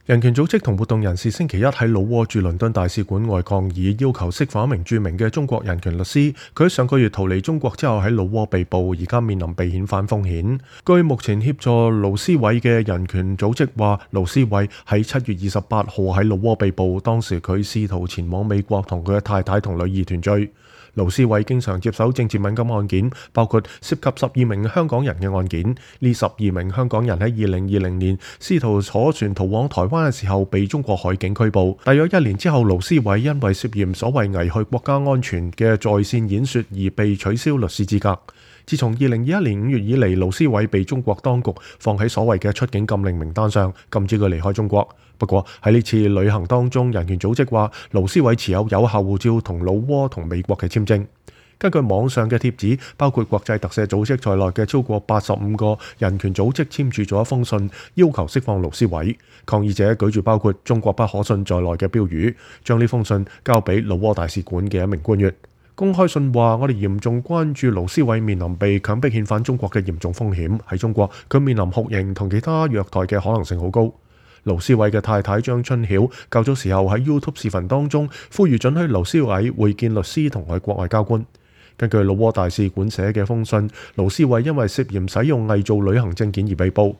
人權組織同活動人士星期一喺老撾駐倫敦大使館外抗議，要求釋放一名著名嘅中國人權律師。佢喺上個月逃離中國之後喺老撾被捕，而家面臨被遣返風險。據目前協助盧思偉嘅人權組織話，盧思偉喺7月28號喺老撾被捕，當時佢試圖前往美國同佢嘅太太同女兒團聚。盧思偉經常接手政治敏感案件，包括涉及12名香港人嘅案件。呢12名香港人喺2020年試圖坐船逃往台灣嘅時候被中國海警拘捕。大約1年之後，盧思偉因為涉嫌所謂危害國家安全嘅在線演說而被取消律師資格。自從2021年5月以嚟，盧思偉被中國當局放喺所謂嘅出境禁令名單上，禁止佢離開中國。不過喺呢次旅行當中，人權組織話盧思偉持有有效護照同老撾同美國嘅簽證。根據網上嘅貼紙，包括國際特赦組織在內嘅超過85個人權組織簽署咗一封信，要求釋放盧思偉。抗議者舉住包括中國不可信在內嘅標語，將呢封信交俾老撾大使館嘅一名官員。公開信話：我哋嚴重關注盧思偉面臨被強迫遣返中國嘅嚴重風險。喺中國，佢面臨酷刑同其他虐待嘅可能性好高。盧思偉嘅太太張春曉較早時候喺 YouTube 視頻當中呼籲准許盧思偉會見律師同外國外交官。根據老撾大使館寫嘅封信，盧思偉因為涉嫌使用偽造旅行證件而被捕。